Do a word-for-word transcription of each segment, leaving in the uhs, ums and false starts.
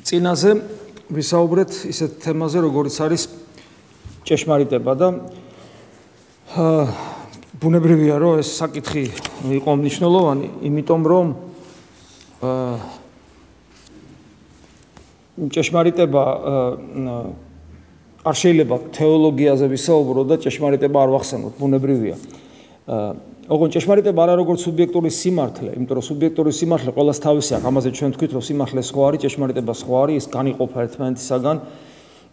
წინაზე ვისაუბრეთ ისეთ თემაზე, როგორიც არის ჭეშმარიტება და ბუნებრივია, რომ ეს საკითხი იყო მნიშვნელოვანი, იმიტომ რომ ჭეშმარიტება არ შეიძლება თეოლოგიაზე ვისაუბრო და ჭეშმარიტება არ ვახსენოთ, ბუნებრივია. ოღონდ ჭეშმარიტება არა როგორც სუბიექტური სიმართლე, იმიტომ რომ სუბიექტური სიმართლე ყველას თავისი აქვს, ამაზე ჩვენ თქვით, რომ სიმართლე სხვა არის, ჭეშმარიტება სხვა არის, ის განიყოფა ერთმანეთისაგან.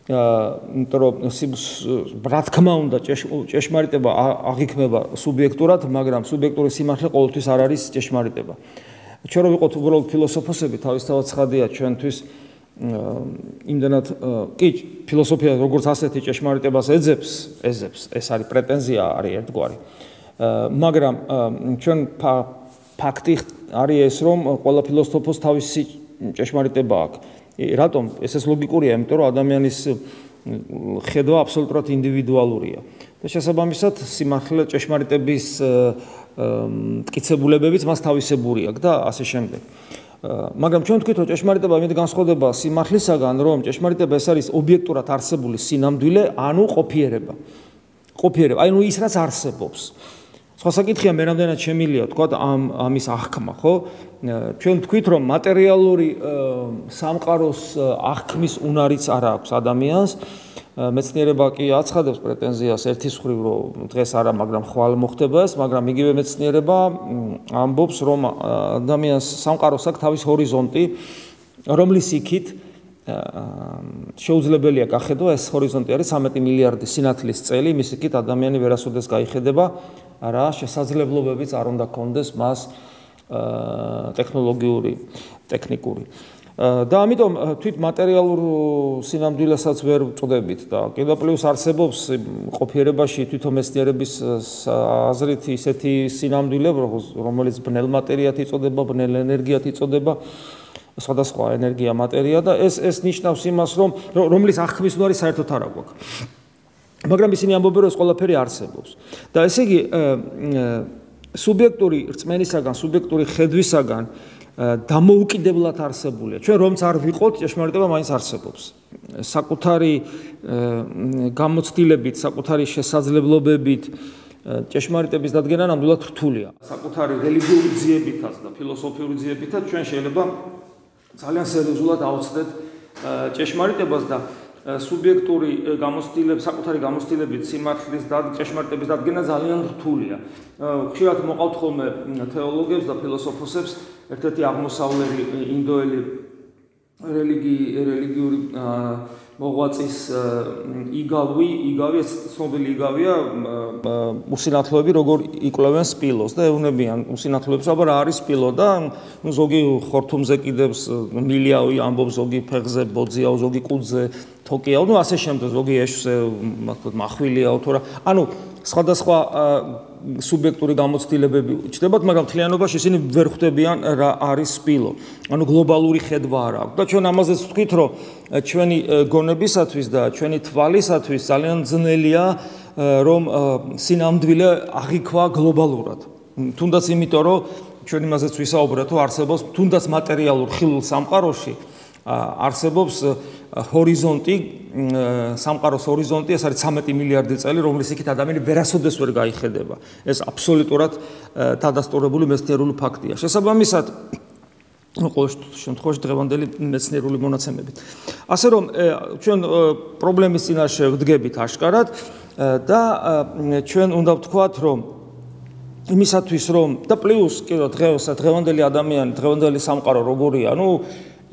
იმიტომ რომ რა თქმა უნდა ჭეშმარიტება აღიქმება სუბიექტურად, მაგრამ სუბიექტური სიმართლე ყოველთვის არ არის ჭეშმარიტება. ჩვენ რო ვიყოთ უბრალოდ ფილოსოფოსები, თავისთავად ცხადია ჩვენთვის იმდანად კი ფილოსოფია როგორც ასეთი ჭეშმარიტებას ეძებს, ეძებს, ეს არის პრეტენზია, არის ერთგვარი. მაგრამ ჩვენ ფაქტი არის ეს, რომ ყველა ფილოსოფოს თავისი ჭეშმარიტება აქვს. რატომ? ეს ეს ლოგიკურია, იმიტომ რომ ადამიანის ხედვა აბსოლუტურად ინდივიდუალურია. და შესაბამისად, სიმართლე ჭეშმარიტების მტკიცებულებებიც მას თავისებური აქვს და ასე შემდეგ. მაგრამ ჩვენ ვთქვით, რომ ჭეშმარიტება იმით განსხვავდება სიმართლისაგან, რომ ჭეშმარიტება ეს არის ობიექტურად არსებული სინამდვილე, ანუ ყოფიერება. ყოფიერება, აი ნუ ის რაც არსებობს. სხვა საკითხია მე რამდენად შემილია თქვა ამ ამის აღქმა, ხო? ჩვენ ვთქვით, რომ მატერიალური სამყაროს აღქმის უნარიც არ აქვს ადამიანს. მეცნიერება კი აცხადებს პრეტენზიას ერთის მხრივ, რომ დღეს არა, მაგრამ ხვალ მოხდება ეს, მაგრამ იგივე მეცნიერება ამბობს, რომ ადამიანს სამყაროს აქვს თავის ჰორიზონტი, რომლის იქით შეუძლებელია გახედვა, ეს ჰორიზონტი არის ცხრამეტი მილიარდი სინათლის წელი, მის იქით ადამიანი ვერასოდეს გაიხედება, რა შესაძლებლობებიც არ უნდა ქონდეს მას ტექნოლოგიური, ტექნიკური. და ამიტომ თვით მატერიალურ სინამდვილესაც ვერ ვწოდებით და კიდევ პლუს არსებობს ყოფიერებაში თვითონ მეცნიერების აზრით ისეთი სინამდვილე, რომელიც ბნელ მატერიად იწოდება, ბნელ ენერგიად იწოდება, სხვადასხვა ენერგია, მატერია და ეს ეს ნიშნავს იმას, რომ რომლის აღქმის უნარი საერთოდ არ აქვს. მაგრამ ისინი ამბობენ, რომ ეს ყველაფერი არსებობს. და ესე იგი სუბიექტური რწმენისაგან, სუბიექტური ხედვისაგან დამოუკიდებლად არსებულია. ჩვენ რომც არ ვიყოთ, ჭეშმარიტება მაინც არსებობს. საკუთარი გამოცდილებით, საკუთარი შესაძლებლობებით ჭეშმარიტების დადგენა ნამდვილად რთულია. საკუთარი რელიგიური ძიებითაც და ფილოსოფიური ძიებითაც ჩვენ შეიძლება ძალიან სერიოზულად ავწდეთ ჭეშმარიტებას და სუბიექტური გამოცდილების, საკუთარი გამოცდილებით სიმართლის და ჭეშმარიტების დადგენა ძალიან რთულია. ხშირად მოყავთ ხოლმე თეოლოგებს და ფილოსოფოსებს ერთ-ერთი აღმოსავლელი ინდოელი რელიგii რელიგიური მოღვაწის იგავი, იგავი ეს ცნობილი იგავია უსინათლოები როგორ იკვლევენ სპილოს და ეუბნებიან უსინათლოებს, აბა რა არის სპილო და ნუ ზოგი ხორთუმზე კიდევს მილიავი ამბობს, ზოგი ფეხზე ბოძიაო, ზოგი კუძზე თოკიაო, ნუ ასე შემდეგ, ზოგი ეშვზე მახვილიაო თუ რა. ანუ სხვადასხვა სუბიექტური გამოცდილებები ჩნდებათ, მაგრამ მთლიანობაში ისინი ვერ ხვდებიან რა არის სპილო. ანუ გლობალური ხედვა არ აქვს. და ჩვენ ამაზეც ვთქვით, რომ ჩვენი გონებისათვის და ჩვენი თვალისათვის ძალიან ძნელია, რომ სინამდვილე აღიქვა გლობალურად. თუნდაც იმიტომ, რომ ჩვენ იმაზეც ვისაუბრეთ, რომ არსებობს თუნდაც მატერიალურ ხილულ სამყაროში არსებობს ჰორიზონტი, სამყაროს ჰორიზონტი, ეს არის ცხრამეტი მილიარდი წელი, რომლის იქით ადამიანი ვერასოდეს ვერ გაიხედება. ეს აბსოლუტურად დადასტურებული მეცნიერული ფაქტია. შესაბამისად, ყოველ შემთხვევაში დღევანდელი მეცნიერული მონაცემებით. ასე რომ ჩვენ პრობლემის წინაშე ვდგებით აშკარად და ჩვენ უნდა ვთქვათ, რომ იმისათვის რომ და პლუს კიდევ დღეს დღევანდელი ადამიანი, დღევანდელი სამყარო როგორია, ну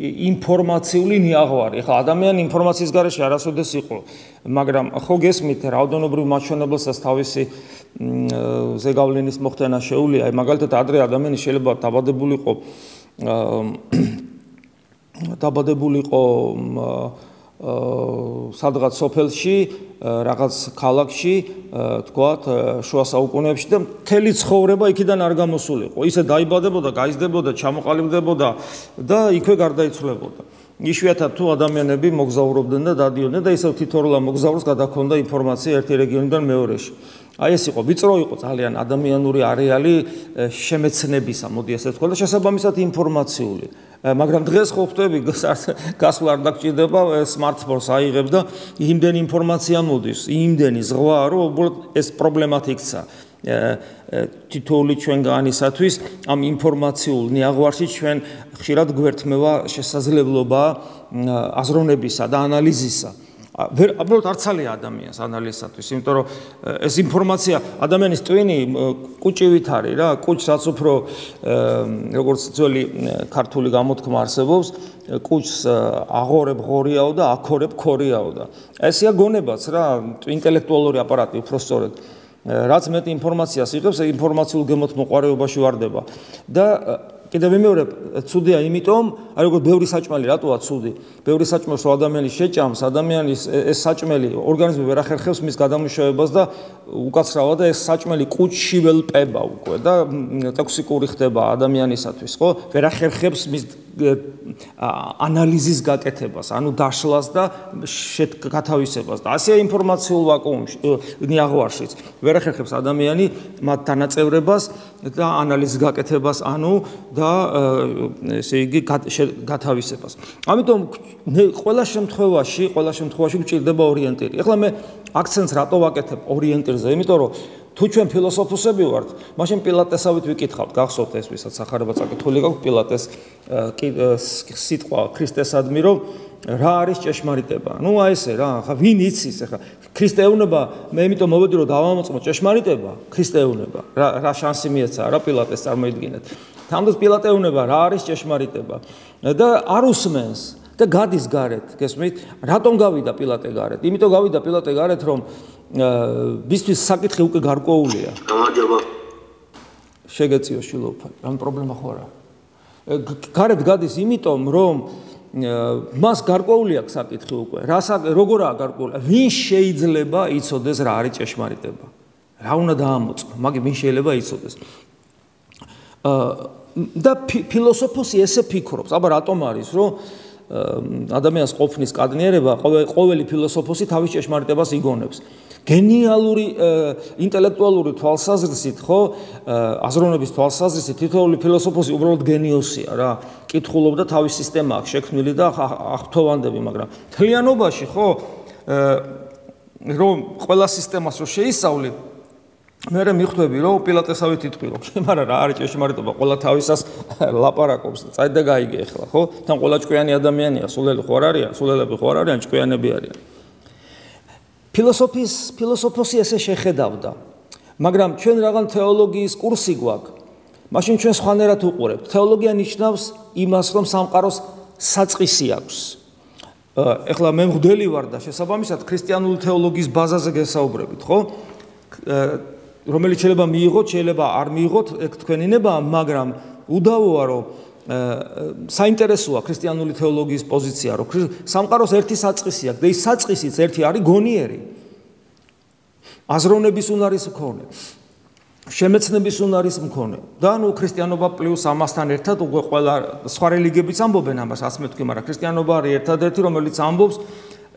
ინფორმაციული ნიაღვარი. ეხლა ადამიანი ინფორმაციის გარეშე არასოდეს იყო, მაგრამ ხო გესმით, რაოდენობრივ მაჩვენებელსაც თავისი ზეგავლენის მოხდენა შეუძლია. აი მაგალითად ადრე ადამიანი შეიძლება დაბადებულიყო დაბადებულიყო სადღაც სოფელში, რაღაც ქალაქში, თქვათ, შუა საუკუნეებში და მთელი ცხოვრება იქიდან არ გამოსულიყო. ისე დაიბადებოდა, გაიზრდებოდა, ჩამოყალიბდებოდა და იქვე გარდაიცვლებოდა. იშვიათად თუ ადამიანები მოგზაურობდნენ და დადიოდნენ და ისევ თითოეულ მოგზაურს გადაქონდა ინფორმაცია ერთი რეგიონიდან მეორეში. აი ეს იყო ვიწრო იყო ძალიან ადამიანური არეალი შემეცნებისა, მოდი ასე ვთქვა და შესაბამისად ინფორმაციული. მაგრამ დღეს ხო ხვდები გასვლა არ დაგჭირდება smartphone-ს აიღებ და იმდენი ინფორმაცია მოდის, იმდენი ზღვა რომ უბრალოდ ეს პრობლემად იქცა. თითოეული ჩვენგანისათვის ამ ინფორმაციულ ნიაღვარში ჩვენ ხშირად გვერთმევა შესაძლებლობა აზროვნებისა და ანალიზისა. უბრალოდ არ ცალია ადამიანს ანალიზისათვის, იმიტომ რომ ეს ინფორმაცია ადამიანის ტვინი კუჭივით არის რა, კუჭს რაც უფრო როგორც ძველი ქართული გამოთქმა არსებობს, კუჭს აღორებ ღორიაო და აქორებ ქორიაო და ესეა გონებაც რა, ინტელექტუალური აპარატი უფრო სწორედ. რაც მეტი ინფორმაციას იღებს, ინფორმაციულ გემოთ მოყარეობაში ვარდება და კიდევ ვიმეორებ, ცუდია იმიტომ, აი როგორ ბევრი საჭმელი რატოა ცუდი? ბევრი საჭმელს რო ადამიანი შეჭამს, ადამიანის ეს საჭმელი ორგანიზმი ვერ ახერხებს მის გადამუშავებას და უკაცრავად და ეს საჭმელი კუჭში ველპება უკვე და ტოქსიკური ხდება ადამიანისათვის, ხო? ვერ ახერხებს მის ანალიზის გაკეთებას, ანუ დაშლას და გათავისებას და ასეა ინფორმაციულ ვაკუუმში, ნიაღვარშიც. ვერ ახერხებს ადამიანი მათ დანაწევრებას და ანალიზის გაკეთებას, ანუ და ესე იგი გათავისებას. ამიტომ ყველა შემთხვევაში, ყველა შემთხვევაში გვჭირდება ორიენტირი. ეხლა მე აქცენტს რატო ვაკეთებ ორიენტირზე? იმიტომ რომ თუ ჩვენ ფილოსოფოსები ვართ, მაშინ პილატესავით ვიკითხავთ, გახსოვთ ეს ვისაც სახარება წაკითხული გაქვს პილატეს სიტყვა ქრისტესადმი, რომ რა არის ჭეშმარიტება? ნუ აი ესე რა, ხა ვინ იცის ახლა ქრისტეუნება, მე იმიტომ მოვედი რომ დავამოწმო ჭეშმარიტება, ქრისტეუნება, რა რა შანსი მიეცა რა პილატეს წარმოიდგინეთ. თამდე პილატეუნება რა არის ჭეშმარიტება და არ უსმენს და გადის გარეთ, გესმით? რატომ გავიდა პილატე გარეთ? იმიტომ გავიდა პილატე გარეთ, რომ ბისთვის საკითხი უკვე გარკვეულია. გამარჯობა. შეგეციო შილოფა, რამ პრობლემა ხო არა? გარეთ გადის იმიტომ, რომ მას გარკვეული აქვს საკითხი უკვე. რა როგორაა გარკვეული? ვინ შეიძლება იცოდეს რა არის ჭეშმარიტება? რა უნდა დაამოწმო? მაგ ვინ შეიძლება იცოდეს? და ფილოსოფოსი ესე ფიქრობს. აბა რატომ არის, რომ ადამიანს ყოფნის კადნიერება ყოველი ფილოსოფოსი თავის ჭეშმარიტებას იგონებს. გენიალური ინტელექტუალური თვალსაზრისით, ხო, აზროვნების თვალსაზრისით თითოეული ფილოსოფოსი უბრალოდ გენიოსია რა. კითხულობდა თავის სისტემა აქვს შექმნილი და აღფრთოვანდები, მაგრამ თლიანობაში, ხო, რომ ყველა სისტემას რო შეისწავლი, მე მიხვდები რომ პილატესავით იტყვირო, მაგრამ რა არის ჭეშმარიტება, ყველა თავისას ლაპარაკობს და წაი და გაიგე ახლა, ხო? თან ყველა ჭკვიანი ადამიანია, სულელი ხო არ არიან, სულელები ხო არ არიან, ჭკვიანები არიან. ფილოსოფიის ფილოსოფოსი ესე შეხედავდა, მაგრამ ჩვენ რაღაც თეოლოგიის კურსი გვაქვს, მაშინ ჩვენ სხვანაირად უყურებთ. თეოლოგია ნიშნავს იმას, რომ სამყაროს საწყისი აქვს. ეხლა მე მღვდელი ვარ და შესაბამისად ქრისტიანული თეოლოგიის ბაზაზე გესაუბრებით, ხო? რომელიც შეიძლება მიიღოთ, შეიძლება არ მიიღოთ, ეგ თქვენი ნებაა, მაგრამ უდავოა, რომ საინტერესოა ქრისტიანული თეოლოგიის პოზიცია, რომ სამყაროს ერთი საწყისი აქვს და ის საწყისიც ერთი არის გონიერი. აზროვნების უნარის მქონე, შემეცნების უნარის მქონე. და ნუ ქრისტიანობა პლუს ამასთან ერთად უკვე ყველა სხვა რელიგიებიც ამბობენ ამას, ასე მეთქვი, მაგრამ ქრისტიანობა არის ერთადერთი, რომელიც ამბობს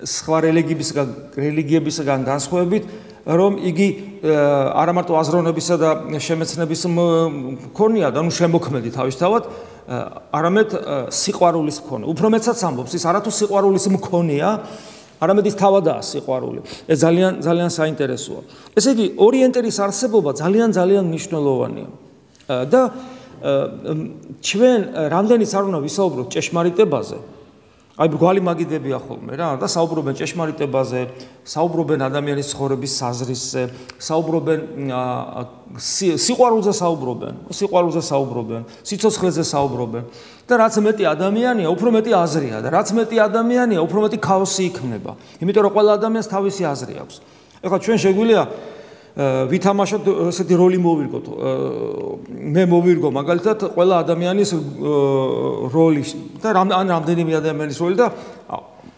სხვა რელიგიებისგან რელიგიებისგან განსხვავებით, რომ იგი არა მარტო აზროვნებისა და შემეცნების მქონეა და ნუ შემოქმედი თავისთავად, არამედ სიყვარულის მქონე. უფრო მეცაც ამბობს, ის არათუ სიყვარულის მქონეა, არამედ ის თავადაა სიყვარული. ეს ძალიან ძალიან საინტერესოა. ესე იგი, ორიენტირის არსებობა ძალიან ძალიან მნიშვნელოვანია. და ჩვენ რამდენიც არ უნდა ვისაუბროთ ჭეშმარიტებაზე, აი ბრგვალი მაგიდებია ხოლმე რა და საუბრობენ ჭეშმარიტებაზე, საუბრობენ ადამიანის ცხოვრების საზრისზე, საუბრობენ სიყვარულზე საუბრობენ, სიყვარულზე საუბრობენ, სიცოცხლეზე საუბრობენ და რაც მეტი ადამიანია, უფრო მეტი აზრია და რაც მეტი ადამიანია, უფრო მეტი ქაოსი იქმნება. იმიტომ რომ ყველა ადამიანს თავისი აზრი აქვს. ეხლა ჩვენ შეგვიძლია ვითამაშოთ ესეთი როლი მოვირგოთ. მე მოვირგო მაგალითად ყველა ადამიანის როლი და ან რამდენიმე ადამიანის როლი და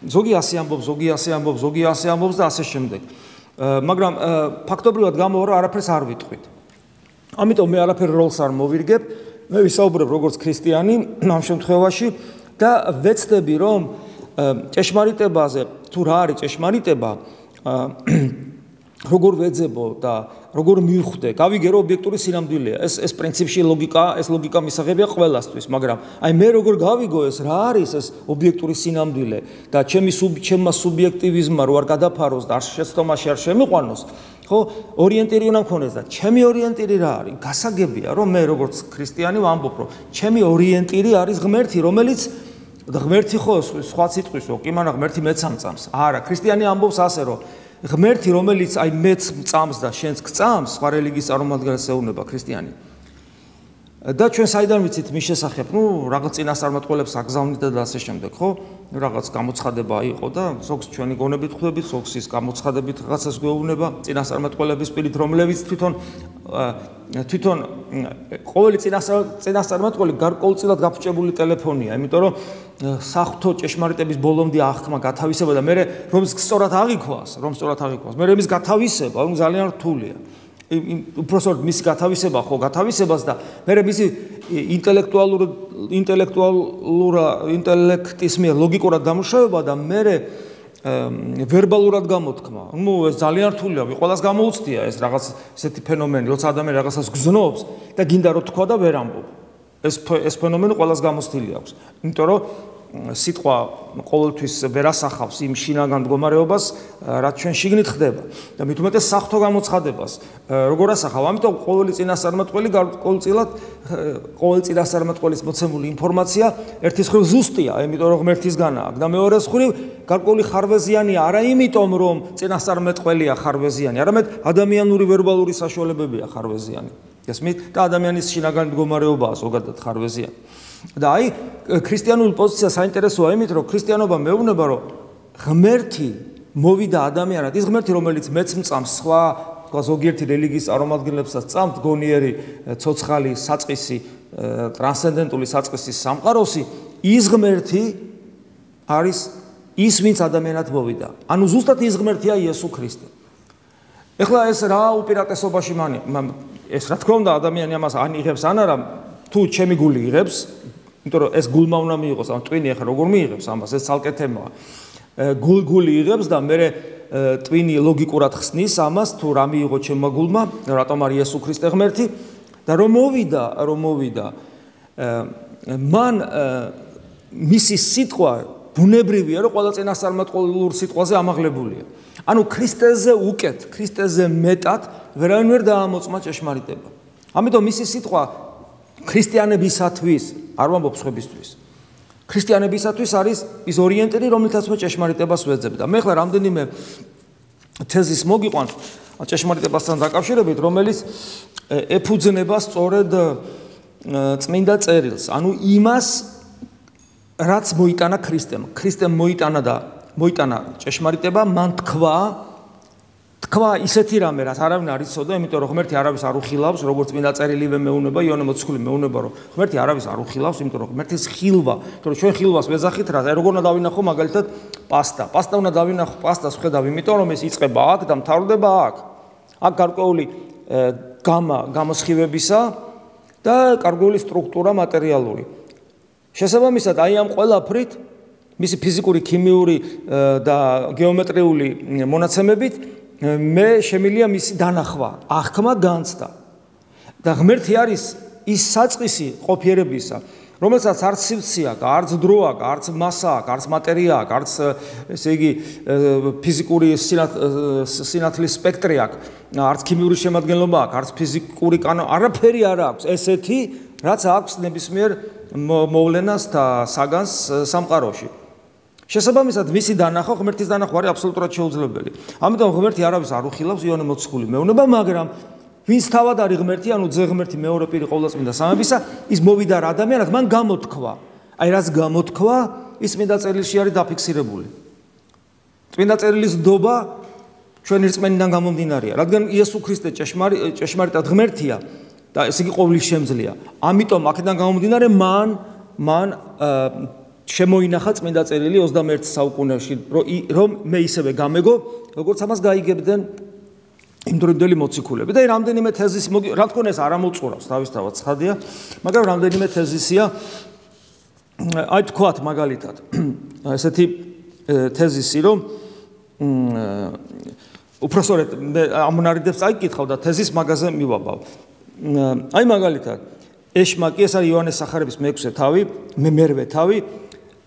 ზოგი ასე ამბობს, ზოგი ასე ამბობს, ზოგი ასე ამბობს და ასე შემდეგ. მაგრამ ფაქტობრივად გამოვა რომ არაფერს არ ვიტყვით. ამიტომ მე არაფერ როლს არ მოვირგებ, მე ვისაუბრებ როგორც ქრისტიანი ამ შემთხვევაში და ვეცდები რომ ჭეშმარიტებაზე თუ რა არის ჭეშმარიტება როგორ ვეძებო და როგორ მივხვდე, გავიგე რომ ობიექტური სინამდვილეა. ეს ეს პრინციპში ლოგიკა, ეს ლოგიკა მისაღებია ყველასთვის, მაგრამ აი მე როგორ გავიგო ეს რა არის ეს ობიექტური სინამდვილე და ჩემი ჩემმა სუბიექტივიზმმა რო არ გადაფაროს და არ შეცდომაში არ შემიყვანოს, ხო, ორიენტირი უნდა მქონდეს და ჩემი ორიენტირი რა არის? გასაგებია რომ მე როგორც ქრისტიანი ვამბობ, რომ ჩემი ორიენტირი არის ღმერთი, რომელიც და ღმერთი ხო სხვა სიტყვის, კი, მაგრამ ღმერთი მეც ამწამს. არა, ქრისტიანი ამბობს ასე, რომ ღმერთი, რომელიც აი მეც მწამს და შენც გწამს, სხვა რელიგიის წარმომადგენელს ეუბნება ქრისტიანი. და ჩვენ საიდან ვიცით მის შესახებ? ნუ რაღაც წინასწარმეტყველებს აგზავნით და ასე შემდეგ, ხო? რაღაც გამოცხადება იყო და ზოგს ჩვენი გონებით ხვდებით, ზოგს ის გამოცხადებით რაღაცას გვეუბნება წინასწარმეტყველების პირით, რომლებიც თვითონ თვითონ ყოველი წინასწარმეტყველი გარკვეულწილად გაფუჭებული ტელეფონია, იმიტომ რომ საღვთო ჭეშმარიტების ბოლომდე აღქმა გათავისება და მე რომ სწორად აღიქვას, რომ სწორად აღიქვას, მე მის გათავისება ძალიან რთულია. უпроსოდ მის გათავისება ხო გათავისებას და მე მისი ინტელექტუალურ ინტელექტუალურა ინტელექტის მიერ ლოგიკურად დამუშავება და მე ვერბალურად გამოთქმა. ნუ ეს ძალიან რთულია, ყველას გამოუცდია ეს რაღაც ესეთი ფენომენი, როცა ადამიანი რაღაცას გზნობს და გინდა რომ თქვა და ვერ ამბობ. ეს ეს ფენომენი ყველას გამოცდილი აქვს. იმიტომ რომ სიტყვა ყოველთვის ვერ ასახავს იმ შინაგან მდგომარეობას, რაც ჩვენ შიგნით ხდება და მით უმეტეს საღვთო გამოცხადებას როგორ ასახავ? ამიტომ ყოველი წინასწარმეტყველი გარკვეულწილად ყოველი წინასწარმეტყველის მოცემული ინფორმაცია ერთის მხრივ ზუსტია, იმიტომ რომ ღმერთისგანა აქვს და მეორეს მხრივ გარკვეული ხარვეზიანია არა იმიტომ რომ წინასწარმეტყველია ხარვეზიანი, არამედ ადამიანური ვერბალური საშუალებებია ხარვეზიანი. ესმით და ადამიანის შინაგან მდგომარეობაა ზოგადად ხარვეზიანი. და აი ქრისტიანული პოზიცია საინტერესოა იმით, რომ ქრისტიანობა მეუბნება, რომ ღმერთი მოვიდა ადამიანად, ის ღმერთი, რომელიც მეც მწამს, სხვა თქვა ზოგიერთი რელიგიის წარმომადგენლებსაც წამთ, გონიერი, ცოცხალი, საწყისი, ტრანსცენდენტული საწყისის სამყაროსი, ის ღმერთი არის ის, ვინც ადამიანად მოვიდა. ანუ ზუსტად ის ღმერთია იესო ქრისტე. ეხლა ეს რა უპირატესობაში მანი, ეს რა თქმა უნდა ადამიანი ამას ან იღებს ან არა, თუ ჩემი გული იღებს, იმიტომ რომ ეს გულმა უნდა მიიღოს, ან ტვინი ახლა როგორ მიიღებს ამას, ეს ცალკე თემაა. გულ გული იღებს და მე ტვინი ლოგიკურად ხსნის ამას, თუ რა მიიღო ჩემმა გულმა, რატომ არის იესო ქრისტე ღმერთი და რომ მოვიდა, რომ მოვიდა. მან მისი სიტყვა ბუნებრივია, რომ ყველა წინასწარმეტყველურ სიტყვაზე ამაღლებულია. ანუ ქრისტეზე უკეთ, ქრისტეზე მეტად ვერავინ ვერ დაამოწმა ჭეშმარიტება. ამიტომ მისი სიტყვა ქრისტიანებისათვის, არ ვამბობ სხვებისთვის. ქრისტიანებისათვის არის ის ორიენტირი, რომელთაც მე ჭეშმარიტებას ვეძებ და მე ხლა რამდენიმე თეზის მოგიყვანთ ჭეშმარიტებასთან დაკავშირებით, რომელიც ეფუძნება სწორედ წმინდა წერილს, ანუ იმას, რაც მოიტანა ქრისტემ. ქრისტემ მოიტანა და მოიტანა ჭეშმარიტება, მან თქვა თქვა ისეთი რამე, რაც არავინ არ იცოდა, იმიტომ რომ ღმერთი არავის არ უხილავს, როგორც წმინდა წერილივე მეუნება, იოანე მოციქული მეუნება, რომ ღმერთი არავის არ უხილავს, იმიტომ რომ ღმერთის ხილვა, იმიტომ რომ ჩვენ ხილვას ვეძახით რა, როგორ უნდა დავინახო მაგალითად პასტა. პასტა უნდა დავინახო, პასტას ვხედავ, იმიტომ რომ ეს იწყება აქ და მთავრდება აქ. აქ გარკვეული გამა, გამოსხივებისა და გარკვეული სტრუქტურა მატერიალური. შესაბამისად, აი ამ ყველაფრით, მისი ფიზიკური, ქიმიური და გეომეტრიული მონაცემებით მე შემილია მისი დანახვა, აღქმა, განცდა. და ღმერთი არის ის საწყისი ყოფიერებისა, რომელსაც არც სივრცე აქვს, არც დრო აქვს, არც მასა აქვს, არც მატერია აქვს, არც ესე იგი ფიზიკური სინათლის სპექტრი აქვს, არც ქიმიური შემადგენლობა აქვს, არც ფიზიკური კანონი, არაფერი არ აქვს ესეთი, რაც აქვს ნებისმიერ მოვლენას და საგანს სამყაროში. შესაბამისად, მისი დანახვა, ღმერთის დანახვა არის აბსოლუტურად შეუძლებელი. ამიტომ ღმერთი არავის არ უხილავს, იოანე მოციქული მეუნება, მაგრამ ვინც თავად არის ღმერთი, ანუ ძე ღმერთი მეორე პირი ყოვლადწმინდა სამებისა, ის მოვიდა რა ადამიანად, მან გამოთქვა. აი რაც გამოთქვა, ის წმინდა წერილში არის დაფიქსირებული. წმინდა წერილის დობა ჩვენი რწმენიდან გამომდინარეა, რადგან იესო ქრისტე ჭეშმარიტად ღმერთია და ეს იგი ყოვლის შემძლეა. ამიტომ აქედან გამომდინარე მან მან შემოინახა წმინდა წერილი ოცდამეერთე საუკუნეში, რომ მე ისევე გამეგო, როგორც ამას გაიგებდნენ იმდროინდელი მოციქულები. და რამდენიმე თეზის, რა თქმა უნდა, ეს არ ამოწურავს თავისთავად ცხადია, მაგრამ რამდენიმე თეზისია, აი თქვათ მაგალითად, ესეთი თეზისი, რომ უпроსორეთ მე ამონარიდებს წაიკითხავ და თეზის მაგაზე მივაბავ. აი მაგალითად ეშმაკი ეს არის იოანეს სახარების მეექვსე თავი, მე მერვე თავი,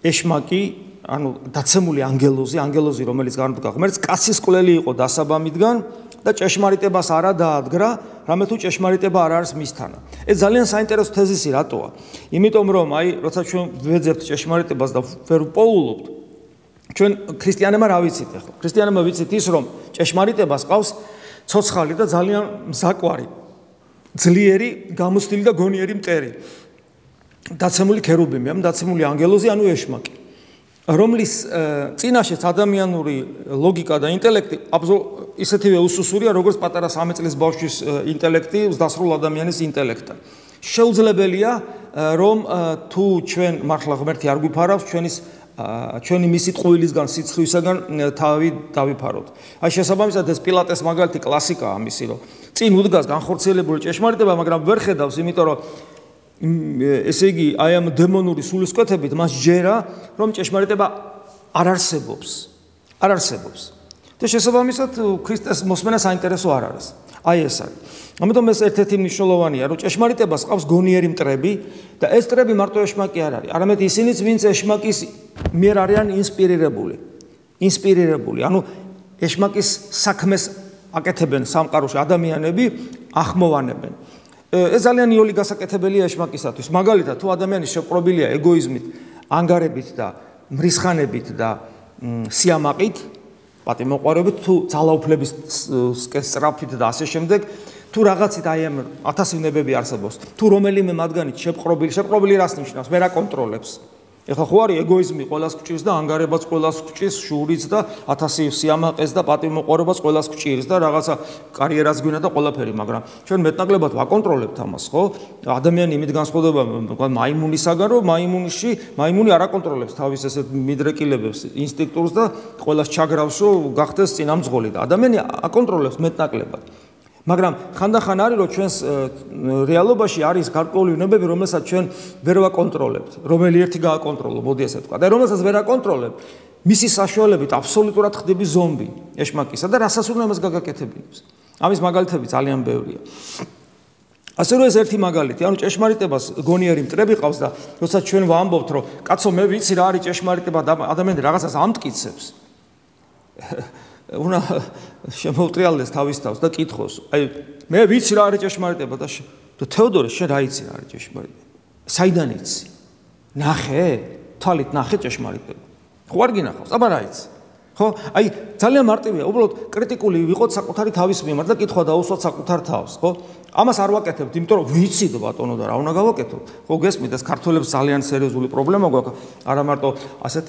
ეშმაკი ანუ დაცემული ანგელოზი, ანგელოზი რომელიც განუდგა ღმერთს, კაცის კვლელი იყო დასაბამიდან და ჭეშმარიტებას არა დაადგრა, რამე თუ ჭეშმარიტება არ არის მისთანა. ეს ძალიან საინტერესო თეზისი რატოა? იმიტომ რომ აი როცა ჩვენ ვეძებთ ჭეშმარიტებას და ვერ პოულობთ, ჩვენ ქრისტიანებმა რა ვიცით ახლა? ქრისტიანებმა ვიცით ის რომ ჭეშმარიტებას ყავს ცოცხალი და ძალიან მზაკვარი, ძლიერი, გამოცდილი და გონიერი მტერი. დაცემული ქერუბიმი, ამ დაცემული ანგელოზი, ანუ ეშმაკი. რომლის წინაშეც ადამიანური ლოგიკა და ინტელექტი ისეთივე უსუსურია, როგორც პატარა სამი წლის ბავშვის ინტელექტი ზრდასრულ ადამიანის ინტელექტთან. შეუძლებელია, რომ თუ ჩვენ მართლა ღმერთი არ გვიფარავს, ჩვენის ჩვენი მისი ტყუილისგან, სიცხივისაგან თავი დავიფაროთ. აი შესაბამისად ეს პილატეს მაგალითი კლასიკაა ამისი, რომ წინ უდგას განხორციელებული ჭეშმარიტება, მაგრამ ვერ ხედავს, იმიტომ რომ ესე იგი აი ამ დემონური სულისკვეთებით მას ჯერა რომ ჭეშმარიტება არ არსებობს არ არსებობს და შესაბამისად ქრისტეს მოსმენა საინტერესო არ არის აი ეს არის ამიტომ ეს ერთ-ერთი მნიშვნელოვანია რომ ჭეშმარიტებას ყავს გონიერი მტრები და ეს მტრები მარტო ეშმაკი არ არის არამედ ისინიც ვინც ეშმაკის მიერ არიან ინსპირირებული ინსპირირებული ანუ ეშმაკის საქმეს აკეთებენ სამყაროში ადამიანები ახმოვანებენ ეს ძალიან იოლი გასაკეთებელია ეშმაკისათვის. მაგალითად, თუ ადამიანი შეპყრობილია ეგოიზმით, ანგარებით და მრისხანებით და სიამაყით, პატიმოყვარეობით, თუ ძალაუფლების სწრაფით და ასე შემდეგ, თუ რაღაცით აი ამ ათასოვნებები არსებობს, თუ რომელიმე მათგანით შეპყრობილი, შეპყრობილი რას ნიშნავს? ვერ აკონტროლებს. ეხლა ხო არის ეგოიზმი ყველას გვჭირს და ანგარებაც ყველას გვჭირს, შურიც და ათასი სიამაყეს და პატიმოყვარეობას ყველას გვჭირს და რაღაცა კარიერაც გვინდა და ყველაფერი, მაგრამ ჩვენ მეტნაკლებად ვაკონტროლებთ ამას, ხო? ადამიანი იმით განსხვავდება მაიმუნისაგან, რომ მაიმუნში მაიმუნი არ აკონტროლებს თავის ესეთ მიდრეკილებებს, ინსტინქტურს და ყველას ჩაგრავს, რომ გახდეს წინამძღოლი და ადამიანი აკონტროლებს მეტნაკლებად. მაგრამ ხანდახან არის რომ ჩვენს რეალობაში არის გარკვეული უნებები, რომელსაც ჩვენ ვერ ვაკონტროლებთ, რომელი ერთი გააკონტროლო, მოდი ესე ვთქვა. და რომელსაც ვერ აკონტროლებთ, მისი საშუალებით აბსოლუტურად ხდები ზომბი ეშმაკისა და რასაც უნდა მას გაგაკეთებინებს. ამის მაგალითები ძალიან ბევრია. ასე რომ ეს ერთი მაგალითი, ანუ ჭეშმარიტებას გონიერი მტრები ყავს და როცა ჩვენ ვამბობთ, რომ კაცო მე ვიცი რა არის ჭეშმარიტება და ადამიანი რაღაცას ამტკიცებს. უნდა შემოვტრიალდეს თავის თავს და კითხოს. აი მე ვიცი რა არის ჭეშმარიტება და თეოდორე შენ რა იცი რა არის ჭეშმარიტება? საიდან იცი? ნახე? თვალით ნახე ჭეშმარიტება. ხო არ გინახავს? აბა რა იცი? ხო? აი ძალიან მარტივია, უბრალოდ კრიტიკული ვიყოთ საკუთარი თავის მიმართ და კითხვა დაუსვათ საკუთარ თავს, ხო? ამას არ ვაკეთებთ, იმიტომ რომ ვიცით ბატონო და რა უნდა გავაკეთოთ. ხო გესმით, ეს ქართველებს ძალიან სერიოზული პრობლემა გვაქვს, არა მარტო ასეთ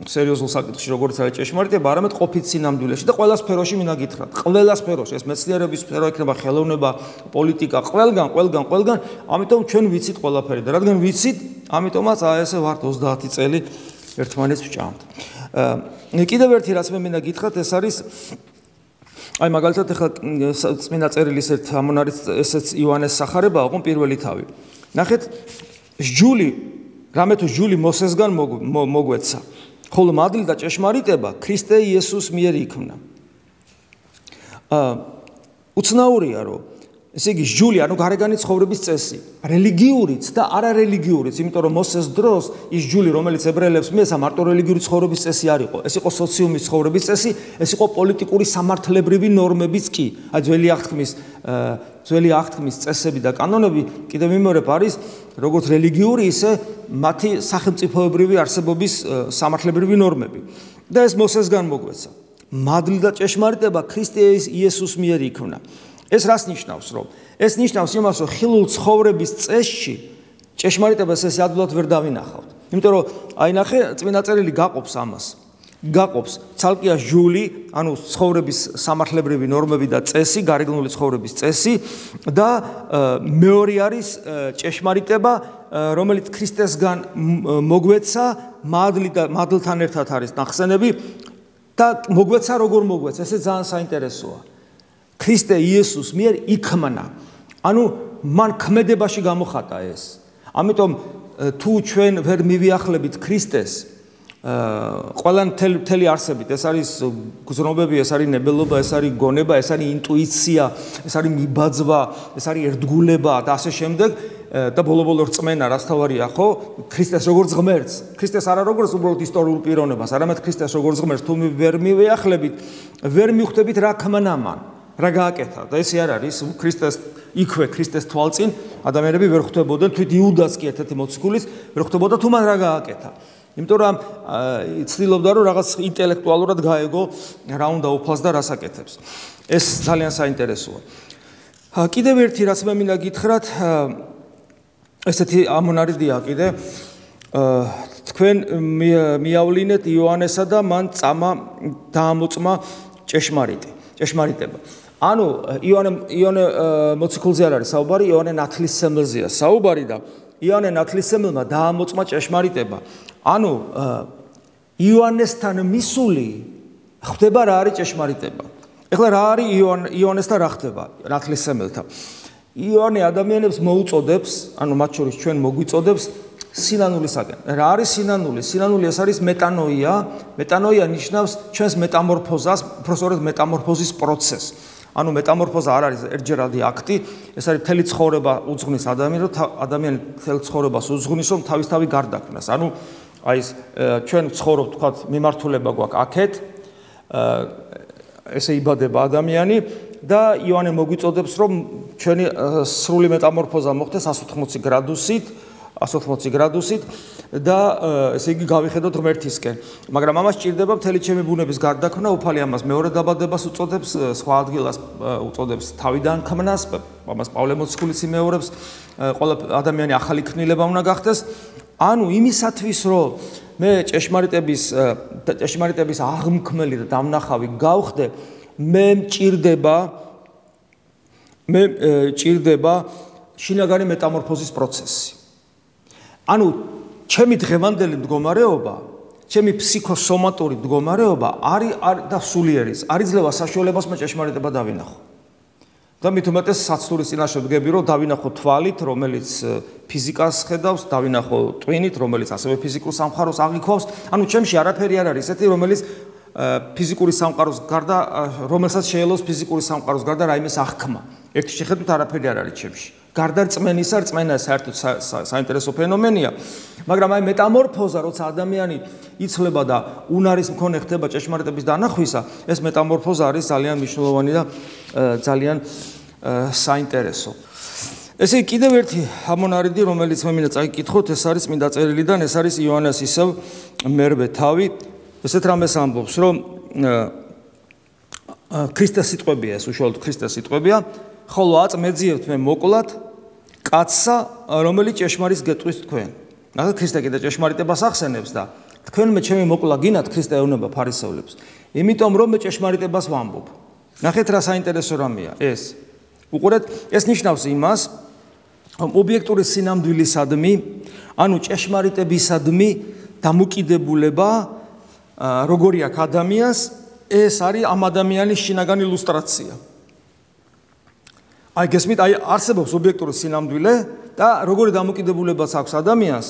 სერიოზულ საკითხში, როგორც არის ჭეშმარიტება, არამედ ყოფით სინამდვილეში და ყველა სფეროში მინდა გითხრათ. ყველა სფეროში, ეს მეცნიერების სფერო იქნება, ხელოვნება, პოლიტიკა, ყველგან, ყველგან, ყველგან, ამიტომ ჩვენ ვიცით ყველაფერი და რადგან ვიცით, ამიტომაც აი ესე ვართ ოცდაათი წელი ერთმანეთს ვჭამთ. კიდევ ერთი რაც მე მინდა გითხრათ, ეს არის აი მაგალითად ახლა წმინდა წერილის ერთ ამონარის ესეც იოანეს სახარება იყო პირველი თავი. ნახეთ, სჯული, რამე თუ სჯული მოსესგან მოგვეცა, ხოლო მადლი და ჭეშმარიტება ქრისტე იესოს მიერ იქმნა. აა უცნაურია, რომ ესე იგი სჯული, ანუ გარეგანი ცხოვრების წესი, რელიგიურიც და არარელიგიურიც, იმიტომ რომ მოსეს დროს ის სჯული, რომელიც ებრაელებს მიეცა, მარტო რელიგიური ცხოვრების წესი არ იყო. ეს იყო სოციუმის ცხოვრების წესი, ეს იყო პოლიტიკური სამართლებრივი ნორმებიც კი. აი ძველი აღთქმის ძველი აღთქმის წესები და კანონები კიდევ მიმორებ არის, როგორც რელიგიური, ისე მათი სახელმწიფოებრივი არსებობის სამართლებრივი ნორმები. და ეს მოსესგან მოგვეცა. მადლი და ჭეშმარიტება ქრისტე იესოს მიერ იქმნა. ეს რას ნიშნავს, რომ ეს ნიშნავს იმას, რომ ხილულ ცხოვრების წესში ჭეშმარიტებას ეს ადვილად ვერ დავინახავთ. იმიტომ რომ აი ნახე, წმინდა წერილი გაყოფს ამას. გაყოფს ცალკეა სჯული, ანუ ცხოვრების სამართლებრივი ნორმები და წესი, გარეგნული ცხოვრების წესი და მეორე არის ჭეშმარიტება, რომელიც ქრისტესგან მოგვეცა, მადლი და მადლთან ერთად არის ნახსენები და მოგვეცა როგორ მოგვეცა, ესე ძალიან საინტერესოა. ქრისტე იესოს მიერ იქმნა. ანუ მან ქმედებაში გამოხატა ეს. ამიტომ თუ ჩვენ ვერ მივიახლებით ქრისტეს, ყველან მთელი არსებით ეს არის გზნობები, ეს არის ნებელობა, ეს არის გონება, ეს არის ინტუიცია, ეს არის მიბაძვა, ეს არის ერთგულება და ასე შემდეგ და ბოლო-ბოლო რწმენა რაც თავარია, ხო? ქრისტეს როგორც ღმერთს, ქრისტეს არა როგორც უბრალოდ ისტორიულ პიროვნებას, არამედ ქრისტეს როგორც ღმერთს თუ ვერ მივეახლებით, ვერ მივხვდებით რა ქმნამან, რა გააკეთა და ესე არ არის ქრისტეს იქვე ქრისტეს თვალწინ ადამიანები ვერ ხვდებოდნენ, თვით იუდას კი ერთ-ერთი მოციქულის ვერ ხვდებოდა თუ მან რა გააკეთა. იმიტომ რომ ცდილობდა რომ რაღაც ინტელექტუალურად გაეგო რა უნდა უფლას და რას აკეთებს. ეს ძალიან საინტერესოა. კიდევ ერთი რაც მე მინდა გითხრათ, ესეთი ამონარიდია კიდე თქვენ მიავლინეთ იოანესა და მან წამა დაამოწმა ჭეშმარიტი, ჭეშმარიტება. ანუ იოანე იოანე მოციქულზე არ არის საუბარი, იოანე ნათლისმცემელზეა საუბარი და იოანე ნათლისმცემელმა დაამოწმა ჭეშმარიტება. ანუ იოანესთან მისული ხდება რა არის ჭეშმარიტება. ეხლა რა არის იოანესთან რა ხდება ნათლისმცემელთან? იოანე ადამიანებს მოუწოდებს, ანუ მათ შორის ჩვენ მოგვიწოდებს სინანულისაკენ. რა არის სინანული? სინანული ეს არის მეტანოია. მეტანოია ნიშნავს ჩვენს მეტამორფოზას, უბრალოდ მეტამორფოზის პროცესს. ანუ მეტამორფოზა არ არის ერთჯერადი აქტი, ეს არის მთელი ცხოვრება უძღვნის ადამიანს, რომ ადამიანი მთელ ცხოვრებას უძღვნის, რომ თავისთავად გარდაქმნას. ანუ აი ეს ჩვენ ცხოვრობთ, თქვათ, მიმართულება გვაქვს აქეთ, ესე იბადება ადამიანი და იოანე მოგვიწოდებს, რომ ჩვენი სრული მეტამორფოზა მოხდეს εκατს ოთხმოცი გრადუსით, εκατს ოთხმოცი გრადუსით და ესე იგი გავიხედოთ ღმერთისკენ. მაგრამ ამას სჭირდება მთელი ჩემი ბუნების გარდაქმნა, უფალი ამას მეორე დაბადებას უწოდებს, სხვა ადგილას უწოდებს თავიდან ქმნას, ამას პავლე მოციქულიც იმეორებს, ყველა ადამიანი ახალი ქმნილება უნდა გახდეს. ანუ იმისათვის, რომ მე ჭეშმარიტების ჭეშმარიტების აღმქმელი და დამნახავი გავხდე, მე მჭირდება მე მჭირდება შინაგანი მეტამორფოზის პროცესი. ანუ ჩემი დღევანდელი მდგომარეობა, ჩემი ფსიქოსომატური მდგომარეობა არის და სულიერის არ იძლევა საშუალებას მე ჭეშმარიტება დავინახო. და მით უმეტეს საცდურის წინაშე ვდგები, რომ დავინახო თვალით, რომელიც ფიზიკას ხედავს, დავინახო ტვინით, რომელიც ასევე ფიზიკურ სამყაროს აღიქვავს. ანუ ჩემში არაფერი არ არის ესეთი, რომელიც ფიზიკური სამყაროს გარდა, რომელსაც შეელოს ფიზიკური სამყაროს გარდა რაიმეს აღქმა. ერთი შეხედვით არაფერი არ არის ჩემში. გარდა რწმენისა, რწმენა საერთოდ საინტერესო ფენომენია, მაგრამ აი მეტამორფოზა, როცა ადამიანი იცვლება და უნარის მქონე ხდება ჭეშმარიტების დანახვისა, ეს მეტამორფოზა არის ძალიან მნიშვნელოვანი და ძალიან საინტერესო. ესე კიდევ ერთი ამონარიდი, რომელიც მე მინდა წაიკითხოთ, ეს არის წმინდა წერილიდან, ეს არის იოანეს ისევ მერვე თავი, ესეთ რამეს ამბობს, რომ ქრისტეს სიტყვებია, ეს უშუალოდ ქრისტეს სიტყვებია, ხოლო აწმეძიებთ მე მოკლათ კაცსა, რომელიც ჭეშმარიტს გეტყვის თქვენ. ნახეთ, ქრისტე კიდე ჭეშმარიტებას ახსენებს და თქვენ მე ჩემი მოკლა გინათ, ქრისტე ეუბნება ფარისევლებს. იმიტომ რომ მე ჭეშმარიტებას ვამბობ. ნახეთ რა საინტერესო რამეა ეს. უყურეთ, ეს ნიშნავს იმას, რომ ობიექტური სინამდვილისადმი, ანუ ჭეშმარიტებისადმი დამოკიდებულება, როგორი აქვს ადამიანს, ეს არის ამ ადამიანის შინაგანი ილუსტრაცია. აი გესმით, აი არსებობს ობიექტური სინამდვილე და როგორი დამოკიდებულებაც აქვს ადამიანს,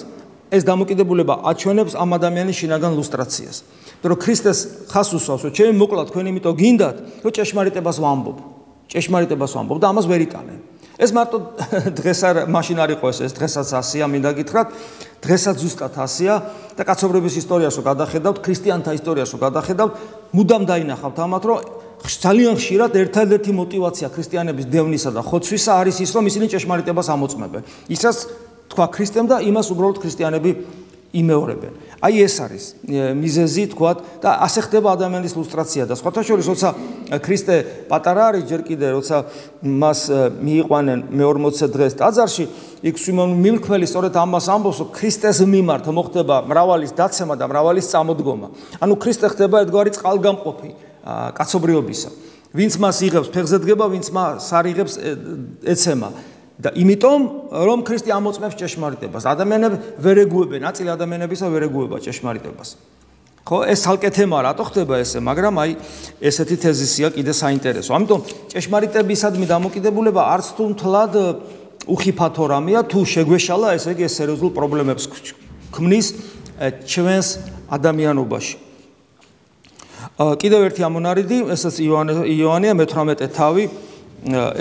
ეს დამოკიდებულება აჩვენებს ამ ადამიანის შინაგან ილუსტრაციას. რომ ქრისტეს ხას უსვავს, რომ ჩემი მოკლა თქვენ იმიტომ გინდათ, რომ ჭეშმარიტებას ვამბობ. ჭეშმარიტებას ვამბობ და ამას ვერ იტანენ. ეს მარტო დღეს არ მაშინ არ იყო ეს, ეს დღესაც ასია, მინდა გითხრათ, დღესაც ზუსტად ასია და კაცობრიობის ისტორიას რო გადახედავთ, ქრისტიანთა ისტორიას რო გადახედავთ, მუდამ დაინახავთ ამათ, რომ ძალიან ხშირად ერთადერთი мотиваცია ქრისტიანების დევნისა და ხოცვისა არის ის, რომ ისინი ჭეშმარიტებას ამოწმებენ. ისაც თქვა ქრისტემ და იმას უბრალოდ ქრისტიანები იმეორებენ. აი ეს არის მიზეზი, თქვათ, და ასე ხდება ადამიანის ილუსტრაცია და სხვათა შორის, როცა ქრისტე პატარა არის ჯერ კიდე, როცა მას მიიყვანენ მეორმოცე დღეს ტაძარში, იქ სიმონ მილქმელი სწორედ ამას ამბობს, რომ ქრისტეს მიმართ მოხდება მრავალის დაცემა და მრავალის წამოდგომა. ანუ ქრისტე ხდება ერთგვარი წყალგამყოფი კაცობრიობისა. ვინც მას იღებს, ფეხზე დგება, ვინც მას არ იღებს, ეცემა. და იმიტომ რომ ქრისტე ამოწმებს ჭეშმარიტებას, ადამიანები ვერ ეგუებენ, ნაწილი ადამიანებისა ვერ ეგუება ჭეშმარიტებას. ხო, ეს ცალკე თემა რატო ხდება ესე, მაგრამ აი ესეთი თეზისია კიდე საინტერესო. ამიტომ ჭეშმარიტებისადმი დამოკიდებულება არც თუ მთლად უხიფათო რამეა, თუ შეგვეშალა, ესე იგი ეს სერიოზულ პრობლემებს ქმნის ჩვენს ადამიანობაში. კიდევ ერთი ამონარიდი, ესაც იოანეა მეთვრამეტე თავი,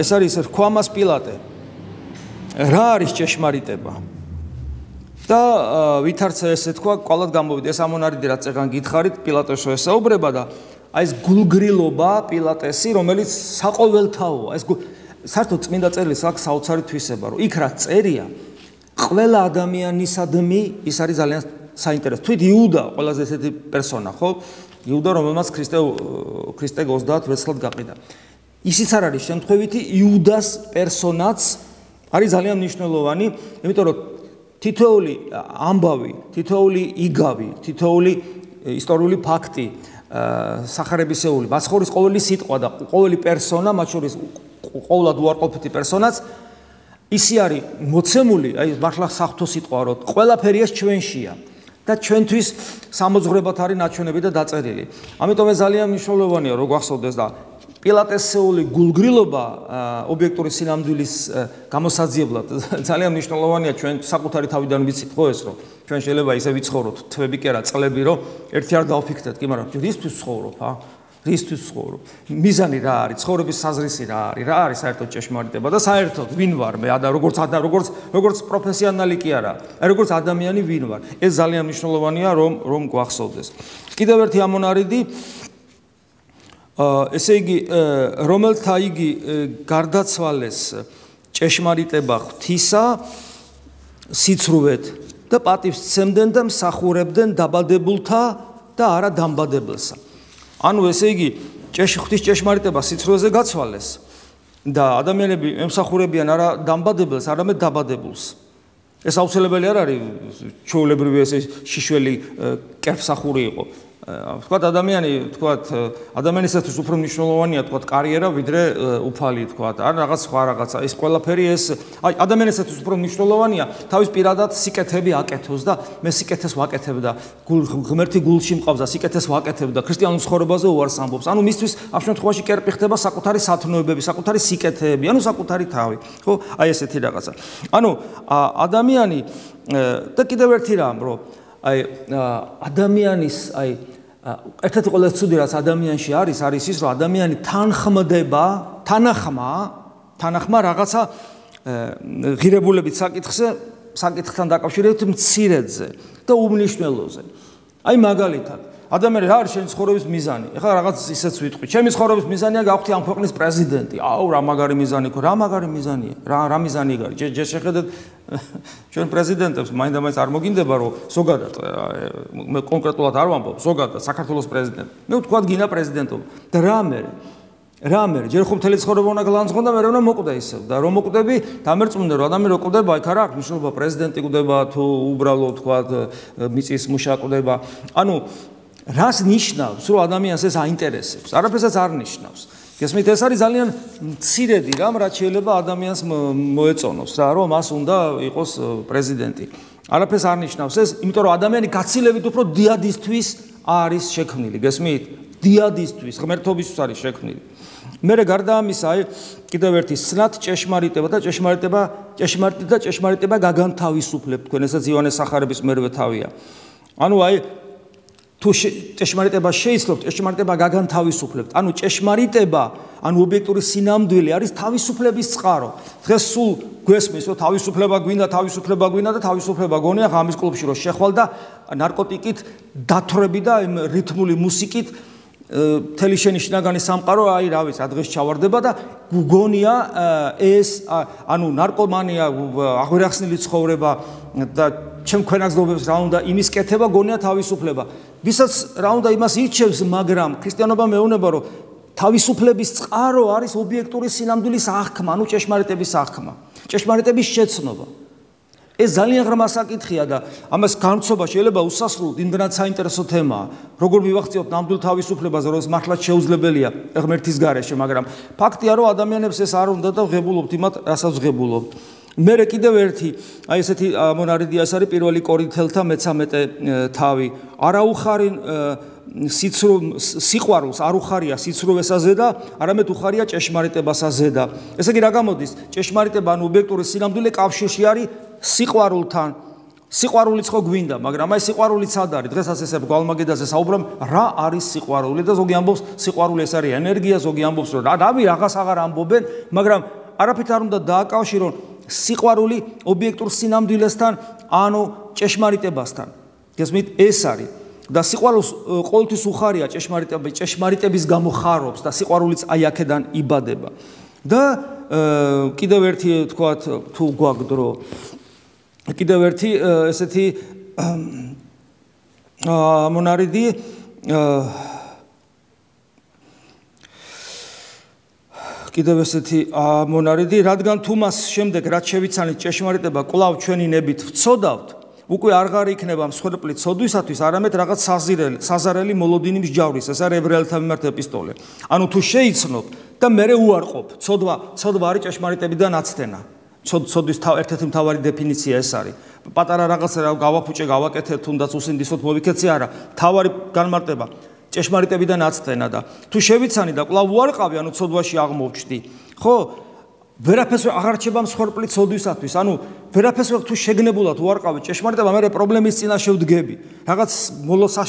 ეს არის რქვამას პილატე. რა არის ჭეშმარიტება? და ვითარც ესე თქვა, ყოლად გამოვიდა ეს ამონარიდი, რაც წეგან გითხარით, პილატესო ესაუბრება და აი ეს გულგრილობა პილატესი, რომელიც საყოველთაოა. ეს საერთოდ წმინდა წერილს აქვს საოცარი თვისება, რომ იქ რაც წერია, ყველა ადამიანისადმი ის არის ძალიან საინტერესო. თვით იუდა ყველაზე ესეთი პერსონა, ხო? იუდა, რომელმაც ქრისტე ქრისტე ოცდაათ ვერცხლად გაყიდა. ისიც არ არის შემთხვევითი იუდას პერსონაც არის ძალიან მნიშვნელოვანი, იმიტომ რომ თითოეული ამბავი, თითოეული იგავი, თითოეული ისტორიული ფაქტი, სახარებისეული, მაცხოვრის ყოველი სიტყვა და ყოველი პერსონა, მათ შორის ყოველად უარყოფითი პერსონაც ისი არის მოცემული, აი მართლა საღვთო სიტყვა, რომ ყველაფერი ეს ჩვენშია და ჩვენთვის სამოძღვრებად არის ნაჩვენები და დაწერილი. ამიტომ ეს ძალიან მნიშვნელოვანია, რომ გვახსოვდეს და პილატესეული გულგრილობა ობიექტური სინამდვილის გამოსაძიებლად ძალიან მნიშვნელოვანია ჩვენ საკუთარი თავიდან ვიცით ხო ეს რომ ჩვენ შეიძლება ისე ვიცხოვროთ თვეები კი არა წლები რომ ერთი არ დავფიქრდეთ კი მაგრამ რისთვის ცხოვრობ ა რისთვის ცხოვრობ მიზანი რა არის ცხოვრების საზრისი რა არის რა არის საერთოდ ჭეშმარიტება და საერთოდ ვინ ვარ მე და როგორც როგორც როგორც პროფესიონალი კი არა აი როგორც ადამიანი ვინ ვარ ეს ძალიან მნიშვნელოვანია რომ რომ გვახსოვდეს კიდევ ერთი ამონარიდი ესე იგი რომელთა იგი გარდაცვალეს ჭეშმარიტება ღვთისა სიცრუვეთ და პატივს სცემდნენ და მსახურებდნენ დაბადებულთა და არა დამბადებელსა. ანუ ესე იგი ღვთის ჭეშმარიტება სიცრუვეზე გაცვალეს და ადამიანები ემსახურებიან არა დამბადებელს, არამედ დაბადებულს. ეს აუცილებელი არ არის ჩვეულებრივი ესე შიშველი კერფსახური იყო. თქვათ ადამიანი, თქვათ ადამიანისათვის უფრო მნიშვნელოვანია თქვათ კარიერა ვიდრე უფალი თქვათ, ან რაღაც სხვა რაღაცა. ეს ყველაფერი ეს აი ადამიანისათვის უფრო მნიშვნელოვანია თავის პირადად სიკეთები აკეთოს და მე სიკეთეს ვაკეთებ და ღმერთი გულში მყავს და სიკეთეს ვაკეთებ და ქრისტიანულ ცხოვრებაზე უარს ამბობს. ანუ მისთვის ამ შემთხვევაში კერპი ხდება საკუთარი სათნოებები, საკუთარი სიკეთეები, ანუ საკუთარი თავი. ხო? აი ესეთი რაღაცა. ანუ ადამიანი და კიდევ ერთი რამ, რომ აი ადამიანის აი ერთად ყველაზე ცუდი რაც ადამიანში არის არის ის რომ ადამიანი თანხმდება თანახმა თანახმა რაღაცა ღირებულებით საკითხზე საკითხთან დაკავშირებით მცირედზე და უმნიშვნელოზე აი მაგალითად ადამიანი რა არის შენი ცხოვრების მიზანი ეხლა რაღაც ისეც ვიტყვი ჩემი ცხოვრების მიზანია გავხდი ამ ქვეყნის პრეზიდენტი აუ რა მაგარი მიზანი ხო რა მაგარი მიზანია რა რა მიზანი გარი ჯერ შეხედეთ ჩვენ პრეზიდენტებს მაინდა-მაინც არ მოგინდება რომ ზოგადად მე კონკრეტულად არ ვამბობ ზოგადად საქართველოს პრეზიდენტი მე ვთქვათ გინდა პრეზიდენტობა და რა მე რა მე ჯერ ხომ მთელი ცხოვრება უნდა გლანძღონ და მე რა მოკვდა ისევ და რომ მოკვდები დამერწმუნდა რომ ადამიანი რო კვდება აი ხარ აქვს მნიშვნელობა პრეზიდენტი კვდება თუ უბრალოდ ვთქვათ მიწის მუშა კვდება ანუ რას ნიშნავს რომ ადამიანს ეს აინტერესებს არაფერსაც არ ნიშნავს გესმით ეს არის ძალიან მცირედი რამ რაც შეიძლება ადამიანს მოეწონოს რა რომ მას უნდა იყოს პრეზიდენტი არაფერს არ ნიშნავს ეს იმიტომ რომ ადამიანი გაცილებით უფრო დიადისთვის არის შექმნილი გესმით დიადისთვის ღმერთობისთვის არის შექმნილი მერე გარდა ამისა აი კიდევ ერთი სნად ჭეშმარიტება და ჭეშმარიტება ჭეშმარიტება და ჭეშმარიტება გაგანთავისუფლებთ თქვენ ესაც იოანეს სახარების მერვე თავია ანუ აი თუ ჭეშმარიტება შეიცნობთ, ჭეშმარიტება გაგანთავისუფლებთ. ანუ ჭეშმარიტება, ანუ ობიექტური სინამდვილე არის თავისუფლების წყარო. დღეს სულ გვესმის, რომ თავისუფლება გვინდა, თავისუფლება გვინდა და თავისუფლება გონია ღამის კლუბში რომ შეხვალ და ნარკოტიკით დათვრები და იმ რითმული მუსიკით მთელი შენი შინაგანი სამყარო აი რა ვიცი, დღეს ჩავარდება და გგონია ეს ანუ ნარკომანია, აღვერახსნილი ცხოვრება და ჩემ ქვენაგზნობებს რა უნდა იმის კეთება გონია თავისუფლება. ვისაც რა უნდა იმას ირჩევს, მაგრამ ქრისტიანობა მეუბნება, რომ თავისუფლების წყარო არის ობიექტური სინამდვილის აღქმა, ანუ ჭეშმარიტების აღქმა, ჭეშმარიტების შეცნობა. ეს ძალიან ღრმა საკითხია და ამას განცობა შეიძლება უსასრულოდ იმდენად საინტერესო თემაა. როგორ მივახციოთ ნამდვილ თავისუფლებაზე, რომ ეს მართლაც შეუძლებელია ღმერთის გარეშე, მაგრამ ფაქტია, რომ ადამიანებს ეს არ უნდა და ღებულობთ იმათ, რასაც ღებულობთ. მერე კიდევ ერთი, აი ესეთი მონარიდია ეს არის პირველი კორინთელთა მეცამეტე თავი. არა უხარინ სიყვარულს არ უხარია სიცრუვესაზე და არამედ უხარია ჭეშმარიტებასაზე და ესე იგი რა გამოდის? ჭეშმარიტება ანუ ობიექტური სინამდვილე კავშირში არის სიყვარულთან. სიყვარულიც ხო გვინდა, მაგრამ აი სიყვარულიც ად არის. დღესაც ესე გვალმაგედაზე საუბრობ, რა არის სიყვარული და ზოგი ამბობს, სიყვარული ეს არის ენერგია, ზოგი ამბობს, რომ რავი რაღაც აღარ ამბობენ, მაგრამ არაფრით არ უნდა დააკავშირონ სიყვარული ობიექტურ სინამდვილესთან, ანუ ჭეშმარიტებასთან. გესმით, ეს არის. და სიყვარულს ყოველთვის უხარია ჭეშმარიტები, ჭეშმარიტების გამო ხარობს და სიყვარულიც აი აქედან იბადება. და კიდევ ერთი თქვათ თუ გვაქვს დრო კიდევ ერთი ესეთი მონარიდი კიდევ ესეთი მონარიდი რადგან თუ მას შემდეგ რაც შევიცანით ჭეშმარიტება კვლავ ჩვენი ნებით ვცოდავთ უკვე აღარ იქნება მსხვერპლი ცოდვისათვის არამედ რაღაც საზირელი საზარელი მოლოდინი მსჯავრის ეს არის ებრაელთა მიმართ ეპისტოლე ანუ თუ შეიცნობ და მერე უარყოფ ცოდვა ცოდვა არის ჭეშმარიტებიდან აცდენა ცოდვის ერთ-ერთი მთავარი დეფინიცია ეს არის პატარა რაღაცა გავაფუჭე გავაკეთე თუნდაც უსინდისოდ მოვიქეცი არა მთავარი განმარტება ჭეშმარიტებიდან აცდენა და თუ შევიცანი და კვლავ უარყავი ანუ ცოდვაში აღმოვჩდი ხო ვერაფერს აღარ რჩება მსხვერპლი ცოდვისათვის ანუ ვერაფერს თუ შეგნებულად უარყავი ჭეშმარიტება მე პრობლემის წინაშე ვდგები რაღაც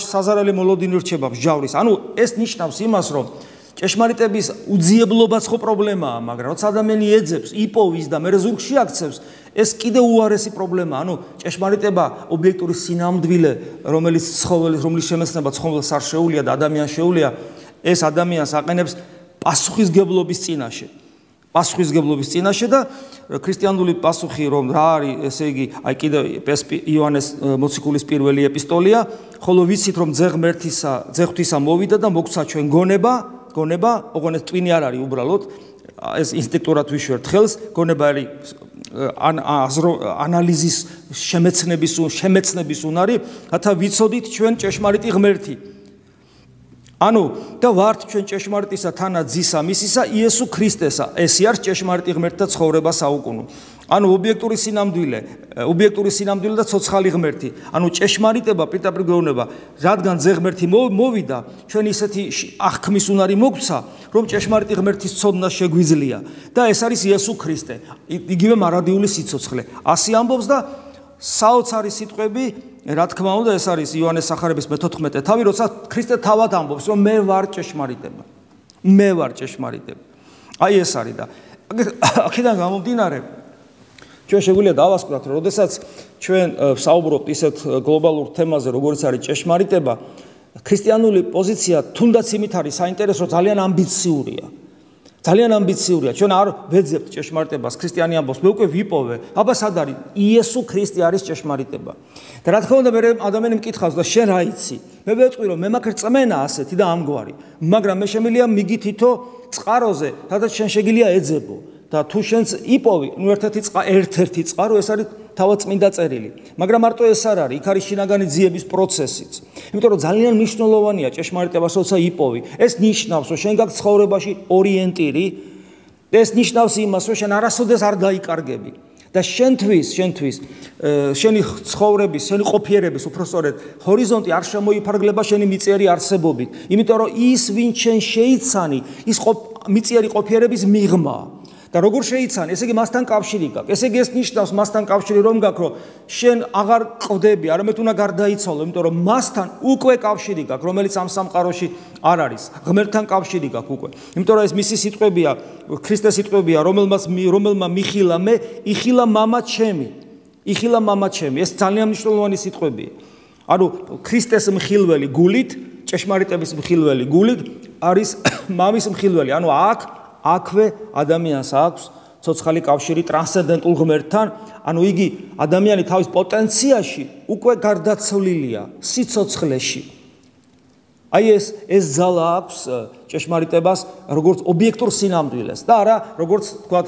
საზარელი მოლოდინი რჩება მსჯავრის ანუ ეს ნიშნავს იმას რომ ჭეშმარიტების უძიებლობაც ხო პრობლემაა მაგრამ როცა ადამიანი ეძებს იპოვის და მე ზურგში აქცევს ეს კიდე უარესი პრობლემაა ანუ ჭეშმარიტება ობიექტური სინამდვილე რომელიც ცხოველის რომლის შემეცნება ცხოველს არ შეუძლია და ადამიანს შეუძლია ეს ადამიანს აყენებს პასუხისგებლობის წინაშე პასუხისგებლობის წინაშე და ქრისტიანული პასუხი რომ რა არის ესე იგი აი კიდე იოანეს მოციქულის პირველი ეპისტოლია ხოლო ვიცით რომ ძე ღმერთისა ძე ღვთისა მოვიდა და მოგცა ჩვენ გონება გონება ოღონდ ეს ტვინი არ არის უბრალოდ ეს ინსტინქტურად ვიშვერთ ხელს გონება არის ანალიზის შემეცნების შემეცნების უნარი რათა ვიცოდით ჩვენ ჭეშმარიტი ღმერთი ანუ და ვართ ჩვენ ჭეშმარიტისა თანა ძისა მისისა იესო ქრისტესა ეს არის ჭეშმარიტი ღმერთთა ცხოვრება საუკუნო ანუ ობიექტური სინამდვილე ობიექტური სინამდვილე და ცოცხალი ღმერთი ანუ ჭეშმარიტება პირდაპირ გვეუბნება რადგან ძე ღმერთი მოვიდა ჩვენ ისეთი აღქმის უნარი მოგცა რომ ჭეშმარიტი ღმერთის ცოდნა შეგვიძლია და ეს არის იესო ქრისტე იგივე მარადიული სიცოცხლე ასე ამბობს და საოცარი სიტყვები რა თქმა უნდა ეს არის იოანეს სახარების მეთოთხმეტე თავი როცა ქრისტე თავად ამბობს რომ მე ვარ ჭეშმარიტება მე ვარ ჭეშმარიტება აი ეს არის და აქედან გამომდინარე ჩვენ შეგვიძლია დავასკვათ რომ როდესაც ჩვენ საუბრობთ ისეთ გლობალურ თემაზე როგორც არის ჭეშმარიტება ქრისტიანული პოზიცია თუნდაც იმით არის საინტერესო ძალიან ამბიციურია ძალიან ამბიციურია ჩვენ არ ვეძებთ ჭეშმარიტებას ქრისტიანი ამბობს მე უკვე ვიპოვე აბა სად არის იესო ქრისტე არის ჭეშმარიტება და რა თქმა უნდა მე ადამიანი მკითხავს და შენ რა იცი მე ვეტყვი რომ მე მაქვს რწმენა ასეთი და ამგვარი მაგრამ მე შემიძლია მიგითითო წყაროზე სადაც შენ შეგიძლია ეძებო და თუ შენს იპოვი ნუ ერთ-ერთი ერთ-ერთი წყარო ეს არის თავად წმინდა წერილი მაგრამ მარტო ეს არ არის იქ არის შინაგანი ძიების პროცესიც იმიტომ რომ ძალიან მნიშვნელოვანია ჭეშმარიტებას როცა იპოვი ეს ნიშნავს რომ შენ გაქვს ცხოვრებაში ორიენტირი ეს ნიშნავს იმას რომ შენ არასოდეს არ დაიკარგები და შენთვის შენთვის შენი ცხოვრების შენი ყოფიერების უпроსწორედ ჰორიზონტი არ შემოიფარგლება შენი მიწიერი არსებობით იმიტომ რომ ის ვინც შენ შეიცანი ის მიწიერი ყოფიერების მიღმა და როგორ შეიცანი, ესე იგი მასთან კავშირი გაქვს. ესე იგი ეს ნიშნავს მასთან კავშირი რომ გაქვს, რომ შენ აღარ ყდები, არამედ უნდა გარდაიცვალო, იმიტომ რომ მასთან უკვე კავშირი გაქვს, რომელიც ამ სამყაროში არ არის. ღმერთთან კავშირი გაქვს უკვე. იმიტომ რომ ეს მისი სიტყვებია, ქრისტეს სიტყვებია, რომელმაც რომელმა მიხილა მე, იხილა მამა ჩემი. იხილა მამა ჩემი. ეს ძალიან მნიშვნელოვანი სიტყვებია. ანუ ქრისტეს მხილველი გულით, ჭეშმარიტების მხილველი გულით არის მამის მხილველი. ანუ აქ აქვე ადამიანს აქვს ცოცხალი კავშირი ტრანსცენდენტულ ღმერთთან, ანუ იგი ადამიანი თავის პოტენციაში უკვე გარდაცვლილია სიცოცხლეში. აი ეს ეს ძალა აქვს ჭეშმარიტებას როგორც ობიექტურ სინამდვილეს და არა როგორც თქვათ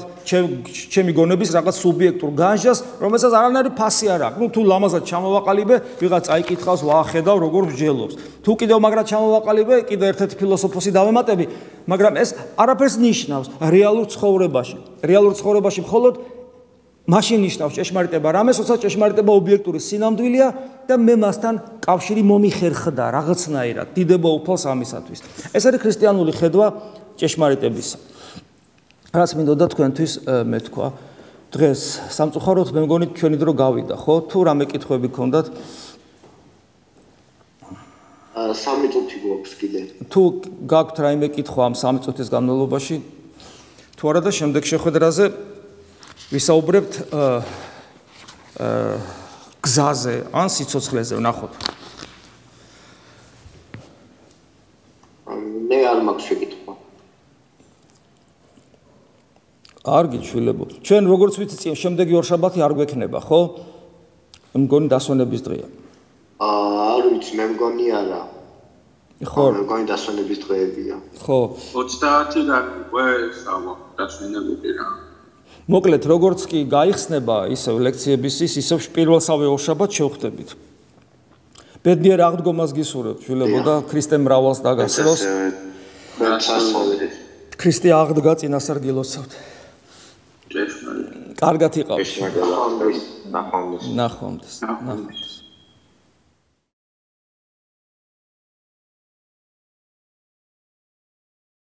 ჩემი გონების რაღაც სუბიექტურ განჟას, რომელსაც არანაირი ფასი არ აქვს. ნუ თუ ლამაზად ჩამოვაყალიბე, ვიღაც აიკითხავს, ვახედავ, როგორ მსჯელობს. თუ კიდევ მაგრად ჩამოვაყალიბე, კიდევ ერთ-ერთი ფილოსოფოსი დავემატები, მაგრამ ეს არაფერს ნიშნავს რეალურ ცხოვრებაში. რეალურ ცხოვრებაში მხოლოდ მაშინ ნიშნავს ჭეშმარიტება რამეს, როცა ჭეშმარიტება ობიექტური სინამდვილეა და მე მასთან კავშირი მომიხერხდა რაღაცნაირად, დიდება უფალს ამისათვის. ეს არის ქრისტიანული ხედვა ჭეშმარიტებისა. რაც მინდოდა თქვენთვის მეთქვა. დღეს სამწუხაროდ მე მგონი ჩვენი დრო გავიდა, ხო? თუ რამე კითხვები გქონდათ? სამი წუთი გვაქვს კიდე. თუ გაქვთ რაიმე კითხვა ამ სამი წუთის განმავლობაში, თუ არა და შემდეგ შეხვედრაზე ვისაუბრებთ გზაზე ან სიცოცხლეზე, ვნახოთ. მე არ მაქვს შეკითხვა. კარგი შვილებო. ჩვენ როგორც ვიცი, შემდეგი ორშაბათი არ გვექნება, ხო? მგონი დასვენების დღეა. აა, არ ვიცი, მე მგონი არა. ხო. მე მგონი დასვენების დღეებია. ხო. ოცდაათიდან უკვე სავა დასვენებები რა. მოკლედ, როგორც კი გაიხსნება ისევ ლექციების ის, ისევ პირველსავე ორშაბათს შევხვდებით. ბედნიერ აღდგომას გისურვებთ, შვილებო და ქრისტე მრავალს დაგასწროს. ქრისტე აღდგა წინასარგილოცავთ. კარგად იყავთ. ნახვამდის. ნახვამდის. ნახვამდის.